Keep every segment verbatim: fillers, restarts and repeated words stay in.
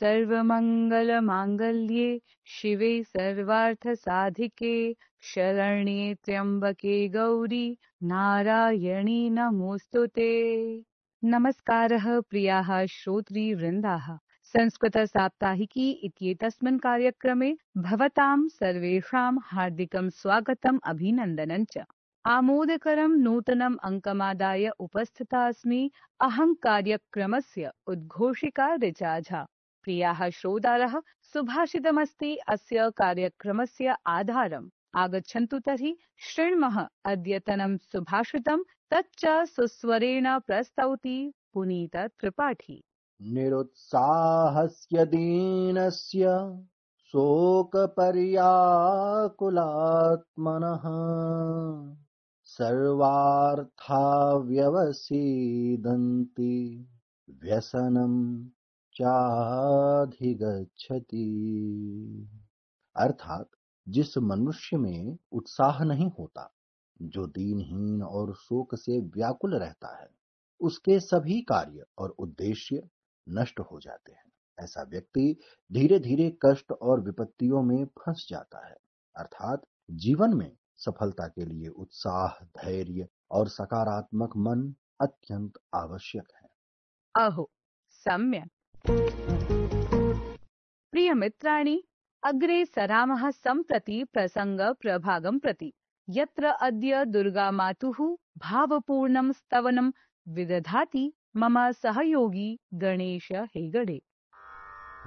सर्वमङ्गलमाङ्गल्ये शिवे सर्वार्थसाधिके शरण्ये त्र्यम्बके गौरी नारायणी नमोऽस्तुते। नमस्कारः प्रियाः श्रोतृवृन्दाः, संस्कृतसाप्ताहिकी इत्येतस्मिन् कार्यक्रमे भवतां सर्वेषां हार्दिकं स्वागतम् अभिनन्दनं च। आमोदकरं नूतनम् अङ्कमादाय उपस्थिता अस्मि अहं कार्यक्रमस्य उद्घोषिका ऋचा झा। प्रियाः श्रोतारः, सुभाषितमस्ति अस्य कार्यक्रमस्य आधारम्। आगच्छन्तु तर्हि शृण्मः अद्यतनं सुभाषितं, तच्च सुस्वरेण प्रस्तौति पुनीत त्रिपाठी। निरुत्साहस्य दीनस्य शोकपर्याकुलात्मनः सर्वार्था व्यवसीदन्ति व्यसनं चाधिगच्छति। अर्थात जिस मनुष्य में उत्साह नहीं होता, जो दीनहीन और शोक से व्याकुल रहता है, उसके सभी कार्य और उद्देश्य नष्ट हो जाते हैं। ऐसा व्यक्ति धीरे धीरे कष्ट और विपत्तियों में फंस जाता है। अर्थात जीवन में सफलता के लिए उत्साह, धैर्य और सकारात्मक मन अत्यंत आवश्यक है। अहो सम्यक्। प्रिय मित्राणि, अग्रे सरामः सम्प्रति प्रसंग प्रभागं प्रति, यत्र अद्य दुर्गामातुः भावपूर्णं स्तवनं विदधाति मम सहयोगी गणेश हेगडे।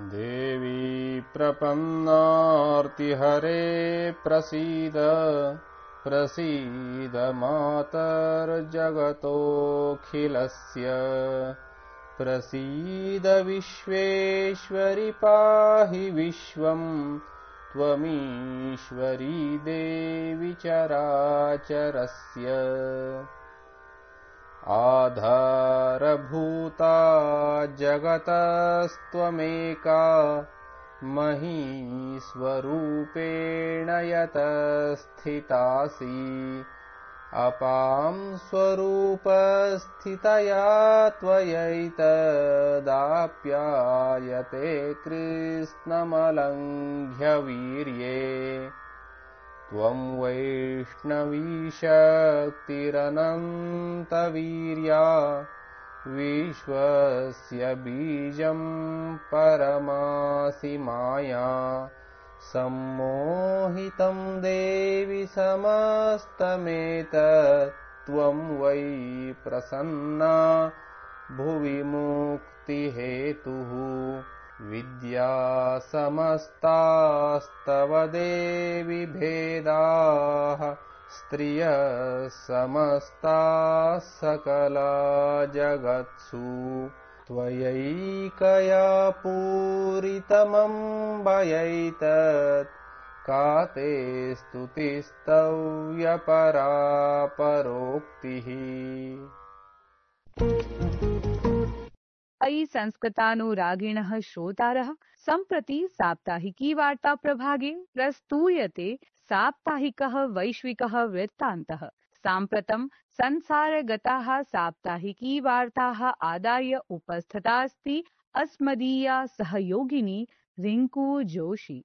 देवी प्रपन्नार्तिहरे प्रसीद प्रसीद मातर्जगतोऽखिलस्य प्रसीद विश्वेश्वरि पाहि विश्वं त्वमीश्वरी देवी चराचरस्य आधारभूता जगतस्त्वमेका महीस्वरूपेण यतस्थितासि अपां स्वरूपस्थितया त्वयैतदाप्यायते कृत्स्नमलङ्घ्य वीर्ये त्वं वैष्णवी शक्तिरनन्तवीर्या विश्वस्य बीजं परमासि माया सम्मोहितं देवि समस्तमेतत् त्वं वै प्रसन्ना भुवि मुक्तिहेतुः विद्या समस्तास्तव देवि भेदाः स्त्रियः समस्ताः सकला जगत्सु त्वयैकया पूरितमम्बयैतत् का ते स्तुतिस्तव्यपरा परोक्तिः। अयि संस्कृतानुरागिणः श्रोतारः, सम्प्रति साप्ताहिकी वार्ता प्रभागे प्रस्तूयते साप्ताहिकः वैश्विकः वृत्तान्तः। साम्प्रतं संसारगताः साप्ताहिकी वार्ताः आदाय उपस्थिता अस्ति अस्मदीया सहयोगिनी रिंकू जोशी।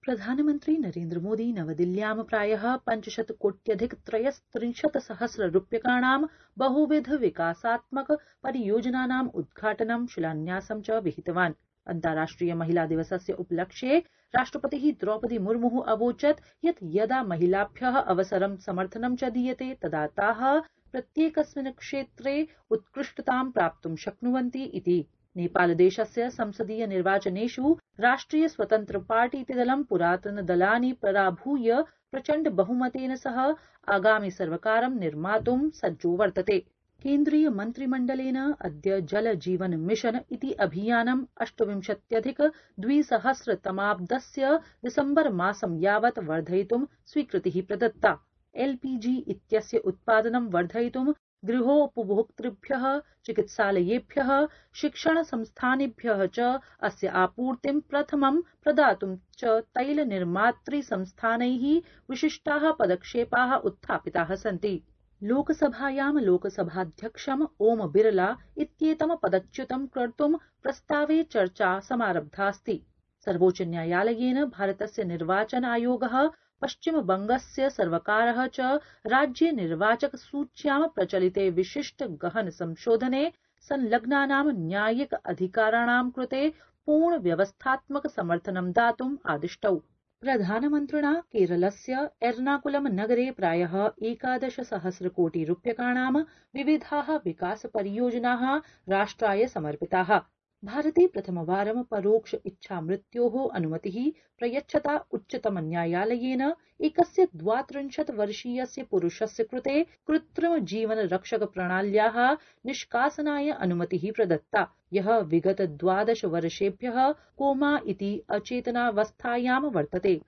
प्रधानमन्त्री नरेन्द्र मोदी नवदिल्ल्यां प्रायः पञ्चशतकोट्यधिक त्रयस्त्रिंशत् सहस्र रूप्यकाणां बहुविध विकासात्मक परियोजनानाम् उद्घाटनं शिलान्यासं च विहितवान्। अन्ताराष्ट्रिय महिला दिवसस्य उपलक्ष्ये राष्ट्रपतिः द्रौपदी मुर्मुः अवोचत् यत् यदा महिलाभ्यः अवसरं समर्थनं च दीयते तदा ताः प्रत्येकस्मिन् क्षेत्रे उत्कृष्टतां प्राप्तुं शक्नुवन्ति इति। नेपालदेशस्य संसदीय निर्वाचनेषु राष्ट्रिय स्वतन्त्र पार्टी इति दलं पुरातनदलानि पराभूय प्रचण्ड बहुमतेन सह आगामि सर्वकारं निर्मातुं सज्जो वर्तते। केन्द्रीय मन्त्रिमण्डलेन अद्य जल जीवन मिशन इति अभियानम् अष्टविंशत्यधिक द्विसहस्रतमाब्दस्य दिसम्बर मासं यावत् वर्धयितुं स्वीकृतिः प्रदत्ता। एलपीजी इत्यस्य उत्पादनं वर्धयितुं गृहोपभोक्तृभ्यः, चिकित्सालयेभ्यः, शिक्षणसंस्थानेभ्यः च अस्य आपूर्तिं प्रथमं प्रदातुं च तैलनिर्मातृसंस्थानैः विशिष्टाः पदक्षेपाः उत्थापिताः सन्ति। लोकसभायां लोकसभाध्यक्षम् ओम बिरला इत्येतं पदच्युतं कर्तुं प्रस्तावे चर्चा समारब्धास्ति। सर्वोच्चन्यायालयेन भारतस्य निर्वाचन आयोगः पश्चिमबंगस्य सर्वकारः च राज्ये निर्वाचक सूच्यां प्रचलिते विशिष्ट गहन संशोधने संलग्नानां न्यायिक अधिकाराणां कृते पूर्ण व्यवस्थात्मक समर्थनं दातुम् आदिष्टौ। प्रधानमन्त्रिणा केरलस्य एर्नाकुलम नगरे प्रायः एकादश सहस्र कोटि रूप्यकाणां विविधाः विकास परियोजनाः राष्ट्राय समर्पिताः। भारते प्रथमवारं परोक्ष इच्छामृत्योः अनुमतिः प्रयच्छता उच्चतमन्यायालयेन एकस्य द्वात्रिंशत् वर्षीयस्य पुरुषस्य कृते कृत्रिम जीवन रक्षक प्रणाल्याः निष्कासनाय अनुमतिः प्रदत्ता, यः विगत द्वादश वर्षेभ्यः कोमा इति अचेतनावस्थायां वर्तते।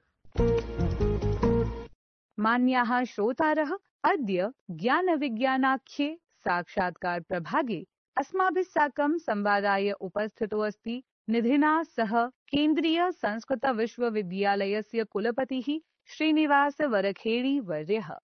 मान्याः श्रोतारः, अद्य ज्ञानविज्ञानाख्ये साक्षात्कार प्रभागे अस्माभिः साकं संवादाय उपस्थितो अस्ति निधिना सह केन्द्रीय संस्कृत विश्वविद्यालयस्य कुलपतिः श्रीनिवास वरखेड़ी वर्यः।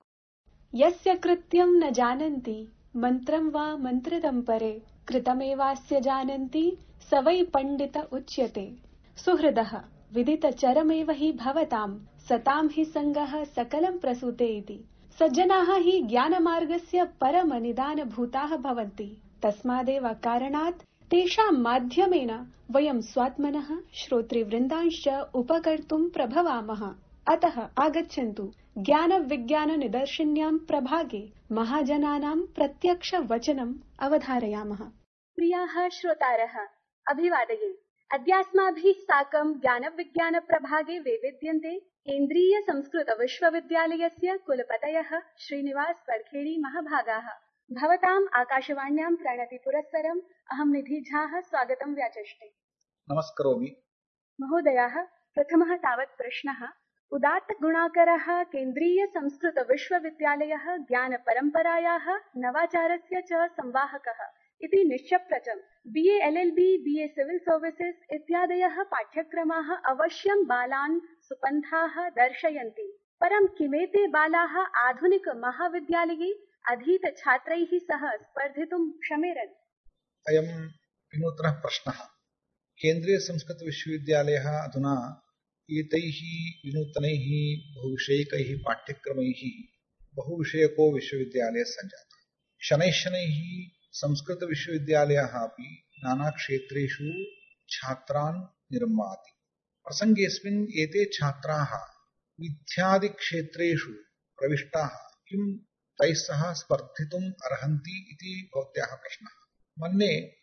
यस्य कृत्यं न जानन्ति मन्त्रं वा मन्त्रितं परे कृतमेवास्य जानन्ति स वै पण्डित उच्यते। सुहृदः विदितचरमेव हि भवतां सतां हि सङ्गः सकलं प्रसूते इति। सज्जनाः हि ज्ञानमार्गस्य परमनिदानभूताः भवन्ति। तस्मादेव कारणात् तेषां माध्यमेन वयं स्वात्मनः श्रोतृवृन्दांश्च उपकर्तुं प्रभवामः। अतः आगच्छन्तु ज्ञानविज्ञाननिदर्शिन्यां प्रभागे महाजनानां प्रत्यक्ष वचनम् अवधारयामः। प्रियाः श्रोतारः, अभिवादये। अद्यास्माभिः साकं ज्ञानविज्ञानप्रभागे वैविध्यन्ते केन्द्रीय संस्कृत विश्वविद्यालयस्य कुलपतयः श्रीनिवास वरखेड़ी महाभागाः। भवताम् आकाशवाण्यां प्रणति पुरस्सरम् अहं निधि झाः स्वागतं व्याचष्टे। नमस्करोमि। महोदयाः, प्रथमः तावत् प्रश्नः। उदात्त गुणाकरः केन्द्रीय संस्कृत विश्वविद्यालयः ज्ञानपरम्परायाः नवाचारस्य च संवाहकः इति निश्चप्रचम्। B A L L B, B A civil services इत्यादयः पाठ्यक्रमाः अवश्यं बालान् सुपन्थाः दर्शयन्ति। परं किमेते बालाः आधुनिक महाविद्यालये अधीत छात्रैः सह स्पर्धितुं क्षमेरन्? अयं विनूतनः प्रश्नः। केन्द्रीय संस्कृत विश्वविद्यालयः अधुना एतैः विनूतनैः बहुविषयकैः पाठ्यक्रमैः बहुविषयको विश्वविद्यालयः सञ्जातः। शनैः शनैः संस्कृत विश्वविद्यालयः अपि नानाक्षेत्रेषु छात्रान् निर्माति। प्रसङ्गेऽस्मिन् एते छात्राः विद्यादिक्षेत्रेषु प्रविष्टाः किं तैः सह स्पर्धितुम् अर्हन्ति इति भवत्याः प्रश्नः। मन्ये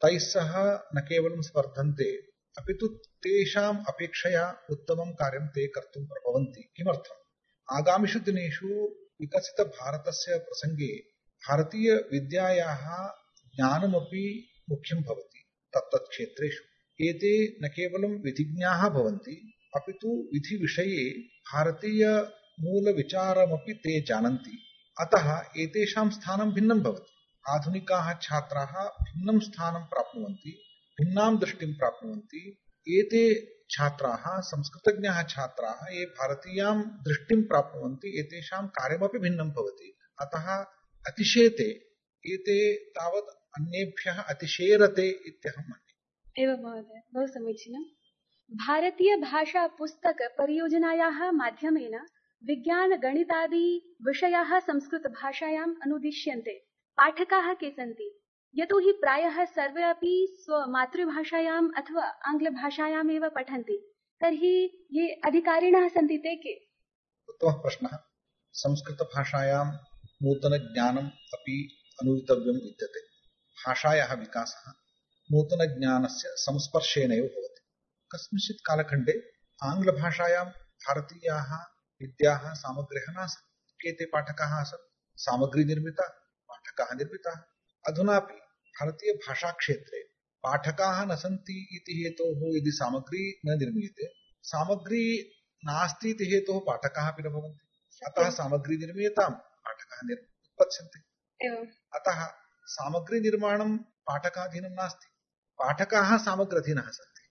तैः सह न केवलं स्पर्धन्ते, अपि तु तेषाम् अपेक्षया उत्तमं कार्यं ते कर्तुं प्रभवन्ति। किमर्थम्? आगामिषु दिनेषु विकसितभारतस्य प्रसङ्गे भारतीयविद्यायाः ज्ञानमपि मुख्यं भवति। तत्तत् क्षेत्रेषु एते न केवलं विधिज्ञाः भवन्ति, अपि तु विधिविषये भारतीयमूलविचारमपि ते जानन्ति। अतः एतेषां स्थानं भिन्नं भवति। आधुनिकाः छात्राः भिन्नं स्थानं प्राप्नुवन्ति, भिन्नां दृष्टिं प्राप्नुवन्ति। एते छात्राः संस्कृतज्ञाः छात्राः ये भारतीयां दृष्टिं प्राप्नुवन्ति, एतेषां कार्यमपि भिन्नं भवति। अतः अतिशेते एते तावत् अन्येभ्यः अतिशेरते इत्यहं मन्ये। एवं महोदय, बहु समीचीनं। भारतीय भाषा पुस्तक परियोजनायाः माध्यमेन विज्ञान गणितादि विषयाः संस्कृत भाषायाम् अनुदिश्यन्ते। पाठकाः के सन्ति? यतोहि प्रायः सर्वे अपि स्वमातृभाषायाम् अथवा आङ्ग्लभाषायाम् एव पठन्ति, तर्हि ये अधिकारिणः सन्ति ते के? उत्तमः प्रश्नः। संस्कृतभाषायां नूतनज्ञानम् अपि अनुदितव्यं विद्यते। भाषायाः विकासः नूतनज्ञानस्य संस्पर्शेनैव भवति। कस्मिंश्चित् कालखण्डे आङ्ग्लभाषायां भारतीयाः विद्याः सामग्र्यः नासन्। केते पाठकाः आसन्? सामग्री निर्मिता, पाठकाः निर्मिताः। अधुनापि भारतीयभाषाक्षेत्रे पाठकाः न सन्ति इति हेतोः यदि सामग्री न निर्मीयते, सामग्री नास्ति इति हेतोः पाठकाः अपि न भवन्ति। अतः सामग्री निर्मीयतां, पाठकाः उत्पत्स्यन्ते। अतः सामग्री निर्माणं पाठकाधीनं नास्ति, पाठकाः सामग्र्यधीनः सन्ति।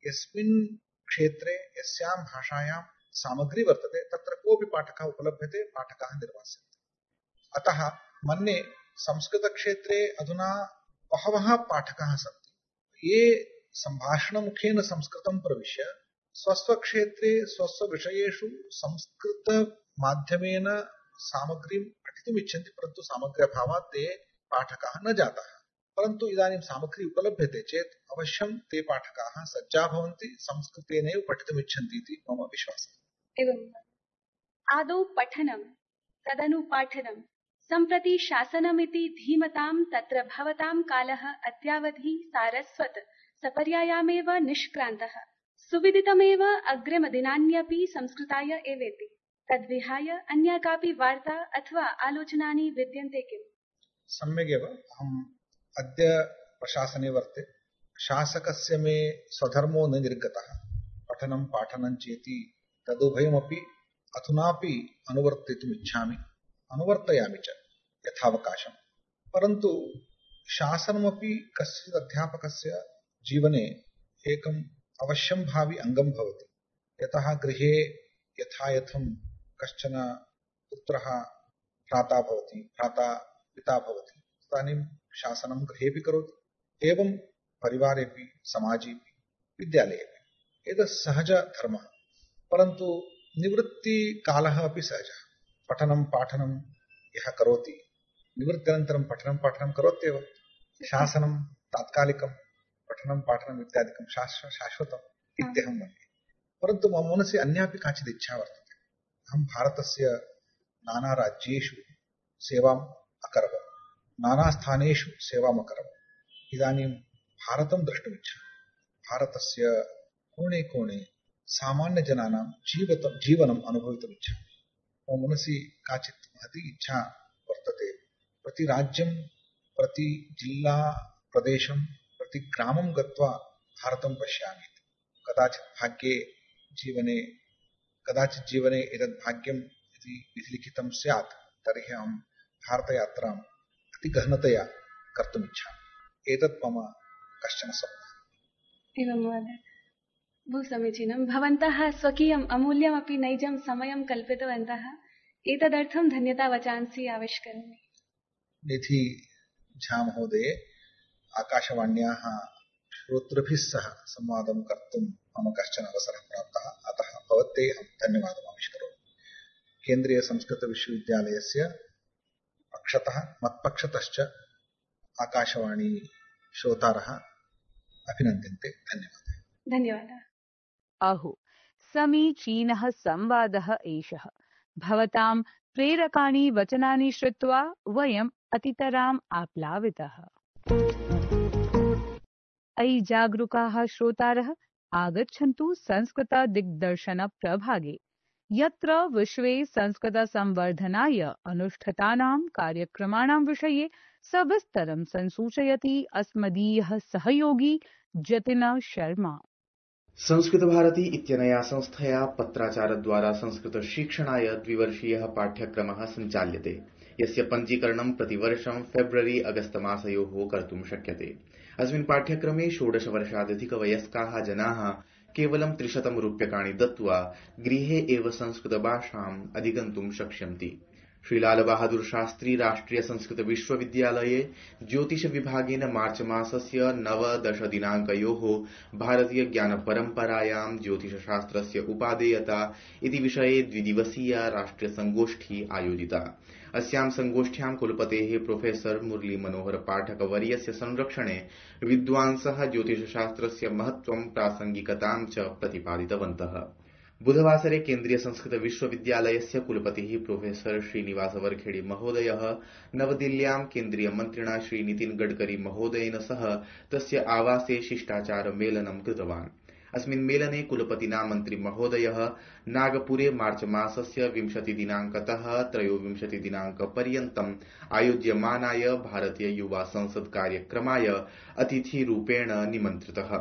यस्मिन् क्षेत्रे यस्यां भाषायां सामग्री वर्तते तत्र कोऽपि पाठकः उपलभ्यते, पाठकाः निर्मास्यन्ते। अतः मन्ये संस्कृतक्षेत्रे अधुना बहवः पाठकाः सन्ति ये सम्भाषणमुखेन संस्कृतं प्रविश्य स्वस्वक्षेत्रे स्वस्वविषयेषु संस्कृतमाध्यमेन सामग्रीं पठितुम् इच्छन्ति, परन्तु सामग्र्यभावात् ते पाठकाः न जाताः। परन्तु इदानीं सामग्री उपलभ्यते चेत् अवश्यं ते पाठकाः सज्जा भवन्ति, संस्कृतेनैव पठितुम् इच्छन्ति इति मम विश्वासः। एवम् आदौ पठनं तदनु पाठनं सम्प्रति शासनमिति धीमतां तत्र भवतां कालः अद्यावधि सारस्वत सपर्यायामेव निष्क्रान्तः सुविदितमेव अग्रिमदिनान्यपि संस्कृताय एवेति तद्विहाय अन्या कापि वार्ता अथवा आलोचनानि विद्यन्ते किम्? सम्यगेव। अहम् अद्य प्रशासने वर्ते। शासकस्य मे स्वधर्मो न निर्गतः। पठनं पाठनं चेति तदुभयमपि अधुनापि अनुवर्तितुम् इच्छामि, अनुवर्तयामि च यथावकाशम्। परन्तु शासनमपि कस्यचित् अध्यापकस्य जीवने एकम् अवश्यं भावि अङ्गं भवति। यतः गृहे यथा यथं कश्चन पुत्रः भ्राता भवति, भ्राता पिता भवति, तदानीं शासनं गृहेऽपि करोति, एवं परिवारेऽपि, समाजेऽपि, विद्यालयेऽपि। एतत् सहजधर्मः। परन्तु निवृत्तिकालः अपि सहजः। पठनं पाठनं यः करोति, निवृत्त्यनन्तरं पठनं पाठनं करोत्येव। शासनं तात्कालिकं, पठनं पाठनम् इत्यादिकं शाश्वतम् इत्यहं मन्ये। परन्तु मम मनसि अन्यापि काचित् इच्छा वर्तते। अहं भारतस्य नानाराज्येषु सेवाम् अकरवम्, नानास्थानेषु सेवाम् अकरवम्। इदानीं भारतं द्रष्टुमिच्छामि। भारतस्य कोणे कोणे सामान्यजनानां जीवत जीवनम् अनुभवितुमिच्छामि। मम मनसि काचित् महती इच्छा वर्तते। प्रति राज्यं, प्रति जिल्ला, प्रदेशं, प्रति ग्रामं गत्वा भारतं पश्यामि। कदाचित् भाग्ये जीवने कदाचित् जीवने एतद् भाग्यम् इति विधिलिखितं स्यात्, तर्हि अहं भारतयात्राम् अतिगहनतया कर्तुम् इच्छामि। एतत् मम कश्चन स्वप्नः। एवं महोदय, बहु समीचीनं। भवन्तः स्वकीयम् अमूल्यमपि नैजं समयं कल्पितवन्तः। एतदर्थं धन्यतावचांसि आविष्करोमि। निधि झा महोदये, आकाशवाण्याः श्रोतृभिः सह संवादं कर्तुं मम कश्चन अवसरः प्राप्तः, अतः भवते अहं धन्यवादम् आविष्करोमि। केन्द्रीय संस्कृत विश्वविद्यालयस्य पक्षतः मत्पक्षतश्च आकाशवाणी श्रोतारः अभिनन्द्यन्ते। धन्यवादः। धन्यवादः। अहो, समीचीनः संवादः एषः। भवतां प्रेरकाणि वचनानि श्रुत्वा वयम् अतितराम् आप्लावितः। अयि जागरूकाः श्रोतारः, आगच्छन्तु संस्कृत दिग्दर्शन प्रभागे, यत्र विश्वे संस्कृत संवर्धनाय अनुष्ठितानां कार्यक्रमाणां विषये सविस्तरं संसूचयति अस्मदीयः सहयोगी जतिन शर्मा। संस्कृत भारती इत्यनया संस्थया पत्राचारद्वारा संस्कृत शिक्षणाय द्विवर्षीयः पाठ्यक्रमः सञ्चाल्यते, यस्य पञ्जीकरणं प्रतिवर्षं फेब्रुवरी अगस्त मासयोः कर्तुं शक्यते। अस्मिन् पाठ्यक्रमे षोडशवर्षादधिकवयस्काः जनाः केवलं त्रिशतं रूप्यकाणि दत्त्वा गृहे एव संस्कृतभाषाम् अधिगन्तुं शक्ष्यन्ति। श्रीलाल बहादुर शास्त्री राष्ट्रिय संस्कृत विश्वविद्यालये ज्योतिष विभागेन मार्च मासस्य नवदश दिनाङ्कयोः भारतीय ज्ञान परम्परायां ज्योतिषशास्त्रस्य उपादेयता इति विषये द्विदिवसीया राष्ट्रिय संगोष्ठी आयोजिता। अस्यां संगोष्ठ्यां कुलपतेः प्रोफेसर मुरली मनोहर पाठक वर्यस्य संरक्षणे विद्वांसः ज्योतिषशास्त्रस्य महत्त्वं प्रासंगिकतां च प्रतिपादितवन्तः। बुधवासरे केन्द्रीय संस्कृत विश्वविद्यालयस्य कुलपतिः प्रोफेसर श्रीनिवास वरखेड़ी महोदयः नवदिल्ल्यां केन्द्रीय मन्त्रिणा श्री नितिन गडकरी महोदयेन सह तस्य आवासे शिष्टाचार मेलनं कृतवान्। अस्मिन् मेलने कुलपतिना मन्त्री महोदयः नागपुरे मार्च मासस्य विंशति दिनाङ्कतः त्रयोविंशति दिनाङ्कपर्यन्तम् आयोज्यमानाय भारतीय युवा संसद कार्यक्रमाय अतिथिरूपेण निमन्त्रितः।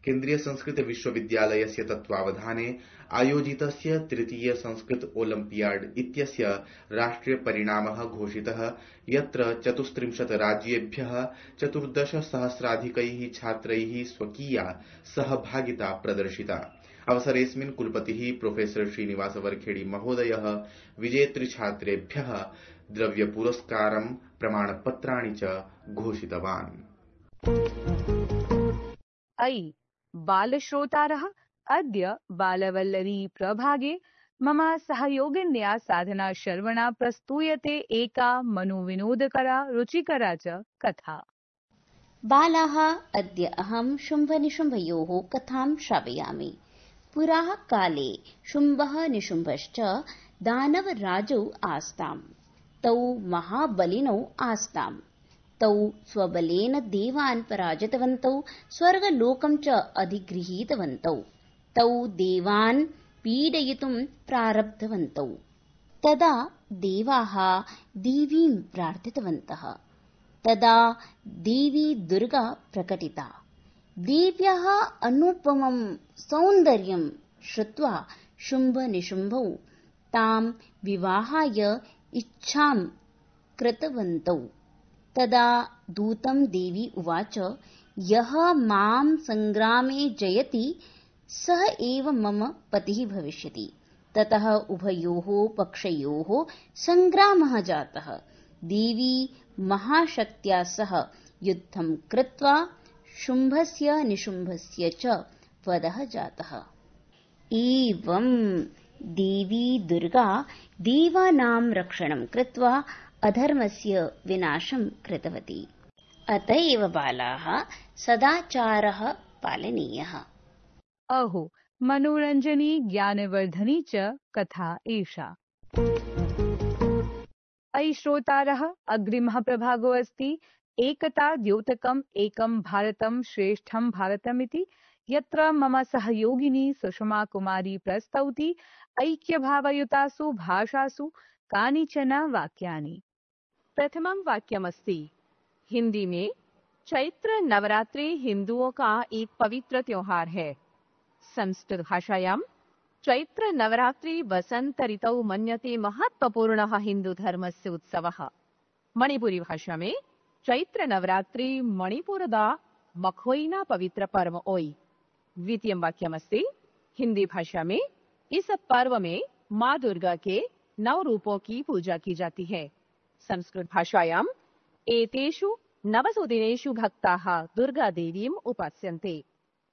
केन्द्रीय संस्कृत विश्वविद्यालयस्य तत्त्वावधाने आयोजितस्य तृतीय संस्कृत ओलम्पियाड इत्यस्य राष्ट्रिय परिणामः घोषितः, यत्र चतुस्त्रिंशत् राज्येभ्यः चतुर्दश सहस्राधिकैः छात्रैः स्वकीया सहभागिता प्रदर्शिता। अवसरेऽस्मिन् कुलपतिः प्रोफेसर श्रीनिवास वरखेड़ी महोदयः विजेतृछात्रेभ्यः द्रव्यपुरस्कारं प्रमाणपत्राणि च घोषितवान्। अयि बालश्रोतारः, अद्य बालवल्लरी प्रभागे मम सहयोगिन्या साधना शर्वणा प्रस्तूयते एका मनोविनोदकरा रुचिकरा च कथा। बालाः, अद्य अहं शुम्भनिशुम्भयोः कथां श्रावयामि। पुराः काले शुम्भः निशुम्भश्च दानवराजौ आस्ताम्। तौ महाबलिनौ आस्ताम्। तौ स्वबलेन देवान् पराजितवन्तौ, स्वर्गलोकं च अधिगृहीतवन्तौ। तौ देवान् पीडयितुं प्रारब्धवन्तौ। तदा देवाः देवीं प्रार्थितवन्तः। तदा देवी दुर्गा प्रकटिता। देव्याः अनुपमं सौन्दर्यं श्रुत्वा शुम्भनिशुम्भौ तां विवाहाय इच्छां कृतवन्तौ। तदा दूतं देवी उवाच, यः मां सङ्ग्रामे जयति सः एव मम पतिः भविष्यति। ततः उभयोः पक्षयोः सङ्ग्रामः जातः। देवी महाशक्त्या सह युद्धं कृत्वा शुम्भस्य निशुम्भस्य च वधः जातः। एवं देवी दुर्गा देवानां रक्षणं कृत्वा अधर्मस्य विनाशं कृतवती। अत एव बालाः सदाचारः पालनीयः। अहो, मनोरञ्जनी ज्ञानवर्धनी च कथा एषा। अयि श्रोतारः, अग्रिमः प्रभागो अस्ति एकता द्योतकम् एकं भारतं श्रेष्ठं भारतमिति, यत्र मम सहयोगिनी सुषमा कुमारी प्रस्तौति ऐक्यभावयुतासु भाषासु कानिचन वाक्यानि। प्रथमं वाक्यमस्ति हिंदी में, चैत्र नवरात्रि हिंदुओं का एक पवित्र त्योहार है। संस्कृत भाषायां चैत्र नवरात्रि वसंत ऋतौ मन्यते महत्वपूर्णः हिंदू धर्मस्य उत्सवः। मणिपुरी भाषा में चैत्र नवरात्रि मणिपुरदा मखोइना पवित्र पर्व ओई। द्वितीय वाक्यमस्ति हिंदी भाषा में, इस पर्व में माँ दुर्गा के नौ रूपों की पूजा की जाती है। संस्कृत भाषायां एतेषु नवसु दिनेषु भक्ताः दुर्गा देवीम् उपास्यन्ते।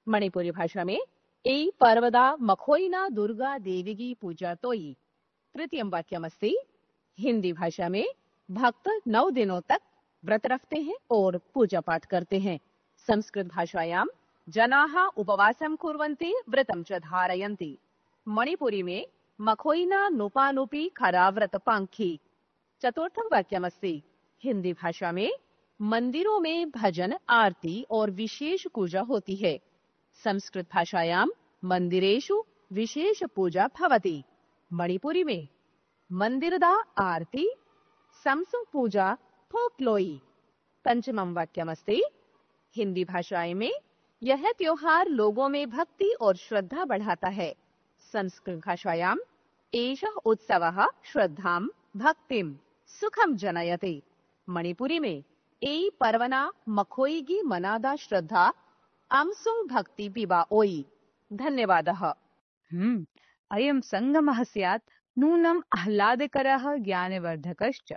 मणिपुरी भाषा में एई पर्वदा मखोइना दुर्गा देवी की पूजा तोई। तृतीय वाक्यमस्ति हिंदी भाषा में, भक्त नौ दिनों तक व्रत रखते हैं और पूजा पाठ करते हैं। संस्कृत भाषायां जनाः उपवासं कुर्वन्ति व्रतं च धारयन्ति। मणिपुरी में मखोइना नुपानुपी खरा व्रत पांखी। चतुर्थं वाक्यमस्ति हिंदी भाषा में, मंदिरों में भजन आरती और विशेष पूजा होती है। संस्कृत भाषायां मंदिरेषु विशेष पूजा भवति। मणिपुरी में मंदिरदा आरती समसु पूजा फोक्लोई। पंचमं वाक्यमस्ति हिंदी भाषा में, यह त्योहार लोगों में भक्ति और श्रद्धा बढ़ाता है। संस्कृत भाषायां एषः उत्सवः श्रद्धां भक्तिं सुखं जनयते। मणिपुरी में एई पर्वना मखोईगी मनादा श्रद्धा अम्सुं भक्ति पिबा ओई। धन्यवादः। हम्म अयं संगमः स्यात् नूनम् आह्लादकरः ज्ञानवर्धकश्च।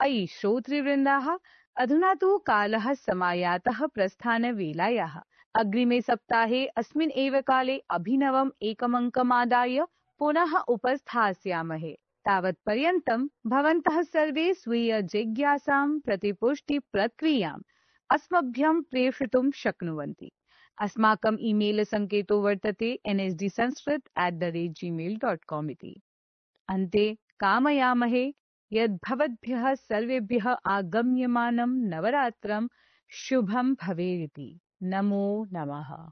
अयि श्रोतृवृन्दाः, अधुना तु कालः समायातः प्रस्थानवेलायाः। अग्रिमे सप्ताहे अस्मिन् एव काले अभिनवम् एकमङ्कमादाय पुनः उपस्थास्यामहे। तावत्पर्यन्तं भवन्तः सर्वे स्वीय जिज्ञासां प्रतिपुष्टिप्रक्रियाम् अस्मभ्यं प्रेषयितुं शक्नुवन्ति। अस्माकम् ईमेल सङ्केतो वर्तते N S D Sanskrit at the rate Gmail dot com इति। अन्ते कामयामहे यद् भवद्भ्यः सर्वेभ्यः आगम्यमानं नवरात्रं शुभं भवेदिति। नमो नमः।